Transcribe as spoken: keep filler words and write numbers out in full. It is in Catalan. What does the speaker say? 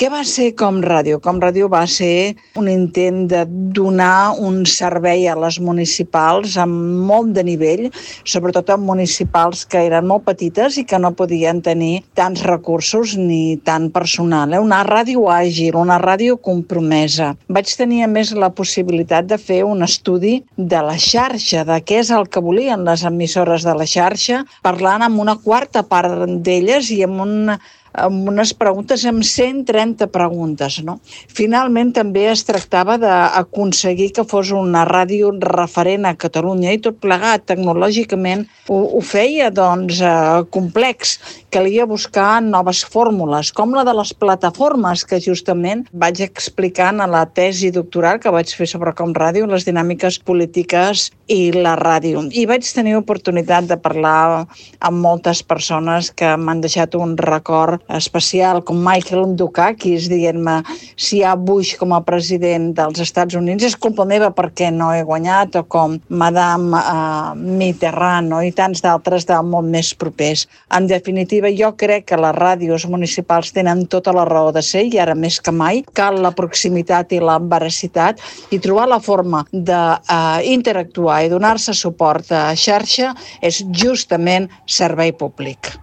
Què va ser Com Ràdio? Com Ràdio va ser un intent de donar un servei a les municipals amb molt de nivell, sobretot amb municipals que eren molt petites i que no podien tenir tants recursos ni tant personal. Eh? Una ràdio àgil, una ràdio compromesa. Vaig tenir a més la possibilitat de fer un estudi de la xarxa, de què és el que volien les emissores de la xarxa, parlant amb una quarta part d'elles i amb un amb unes preguntes, amb cent trenta preguntes. No? Finalment també es tractava d'aconseguir que fos una ràdio referent a Catalunya i tot plegat tecnològicament ho, ho feia doncs, eh, complex. Calia buscar noves fórmules, com la de les plataformes que justament vaig explicant a la tesi doctoral que vaig fer sobre Com Ràdio, les dinàmiques polítiques i la ràdio. I vaig tenir oportunitat de parlar amb moltes persones que m'han deixat un record especial, com Michael Dukakis, dient-me si hi ha Bush com a president dels Estats Units és culpa meva perquè no he guanyat, o com Madame uh, Mitterrand, no? I tants d'altres de molt més propers. En definitiva, jo crec que les ràdios municipals tenen tota la raó de ser i ara més que mai cal la proximitat i la veracitat i trobar la forma d'interactuar uh, i donar-se suport a xarxa és justament servei públic.